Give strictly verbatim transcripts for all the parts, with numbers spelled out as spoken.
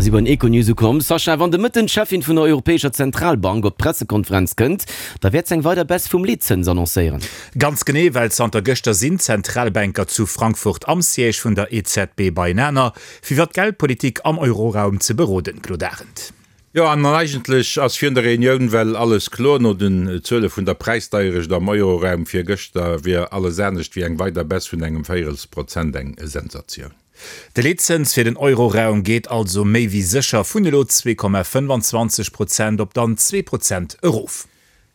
si bei den Econews ukomm. Sascha, wann de Mëtten d'Cheffin vun der Europäescher Zentralbank op d'Pressekonferenz kënnt, da wäert se eng weider Baisse vum Leetzëns annoncéieren. Ganz genee, well zanter gëschter sinn d'Zentralbanker zu Frankfurt am Siège vun der E Z B beienaner, fir iwwer d'Geldpolitik am Euroraum ze beroden, Claude Arend. Jo, an eigentlech ass virun der Reunioun well alles kloer. No den Zuele vun der Präisdeierecht am Euroraum virgëschter wier alles anescht wéi eng weider Baisse vun engem Véierelsprozent eng Sensatioun. De Leetzëns fir den Euroraum geet also méi wéi sécher vun elo zwee Komma fënnfanzwanzeg Prozent op dann zwee Prozent erof.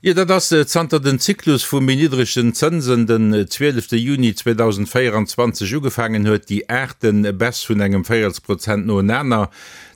Jo, dat ass zanter den Zyklus vu méi niddregen Zënsen den zwielefte Juni zweedausendvéieranzwanzeg ugefaangen huet, déi aachte Baisse vun engem Véierelsprozent noenaner.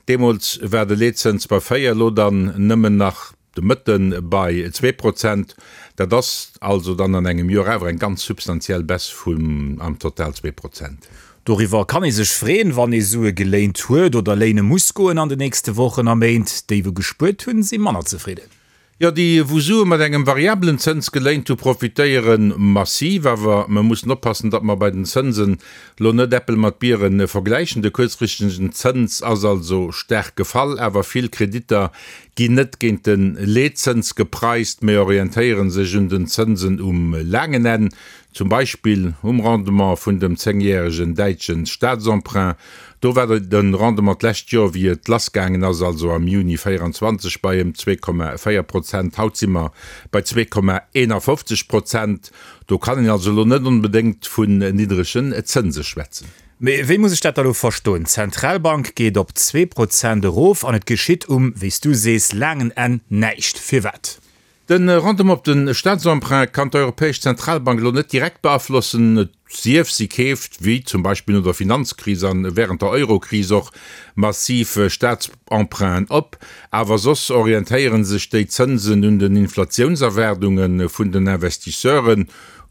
Deemools war de Leetzëns bei véier, elo dann nëmmen nach de Mëtte bei zwee Prozent. Dat ass also dann an engem Joer awer eng ganz substantiell Baisse vun am Total zwee Prozent. Doriwwer kann ee sech freeën, wann ee Sue geléint huet oder léine muss goen an de nächste Wochen a Méint. Déi wou gespuert hunn, si manner zefridden. Jo, déi wou Sue mat engem variabelen Zëns geléint hu profitéiere massiv. Awer mer mussen oppassen, datt mer bei den Zënsen lo net Äppel mat Biere vergläichen. De kuerzfristegen Zëns ass also staark gefall, awer vill Kreditter ginn net géint de Leetzëns gepreist, mee orientéiere sech un den Zënsen um laangen Enn. Zum Beispill um Rendement vun dem zéngjäregen däitsche Staatsemprunt. Do war de Rendement d'lescht Joer, wéi et lassgaangen ass, also am Juni véieranzwanzeg, bei ëm zwee Komma véier Prozent. Haut si mer bei zwee Komma eenafofzeg Prozent. Do kann een also elo net onbedéngt vun niddregen Zënse schwätzen. Mee wéi muss ech dat da lo verstoen? D'Zentralbank geet op zwee Prozent erof an et geschitt um, wéi s du sees, laangen Enn näischt. Firwat? De Rendement op de Staatsemprunt kann d'Europäesch Zentralbank elo net direkt beaflossen, et sief si keeft, wéi zum Beispill no der Finanzkris a wärend der Eurokris och, massiv Staatsemprunten op. Awer soss orientéiere sech déi Zënsen un den Inflatiounserwaardunge vun den Investisseuren,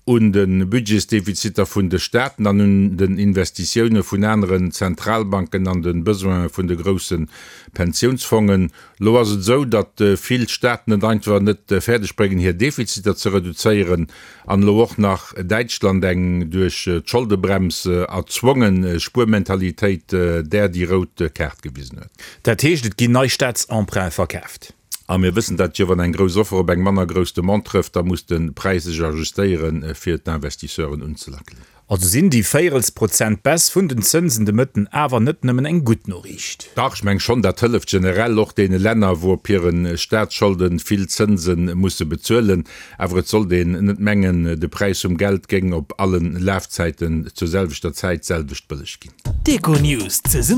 un de Budgetsdefiziter vun de Staaten an un den Investitioune vun aneren Zentralbanken an de Besoine vun de grousse Pensiounsfongen. Lo ass et esou, datt vill Staaten et einfach net fäerdeg bréngen, hir Defiziter ze reduzéieren an elo och nach Däitschland eng duerch d'Scholdebrems erzwonge Spuermentalitéit där déi rout Kaart gewisen huet. Dat heescht, et ginn nei Staatsemprunte verkaaft? A mir wëssen dat jo, wann eng grouss Offer op eng manner grouss Demande trëfft, da muss de Präis sech ajustéieren, fir d'Investisseuren unzelackelen. Also sinn déi véierels Prozent Baisse vun den Zënsen de Mëtten awer net nëmmen eng gutt Noriicht. Dach, ech meng schonn, dat hëlleft generell och deene Länner, wou op hire Staatsscholde vill Zënse musse bezuelen. Awer et sollt een net mengen, de Präis vum Geld géing op alle Lafzäiten zur selwechter Zäit d'selwecht bëlleg ginn. D'Econews zesumme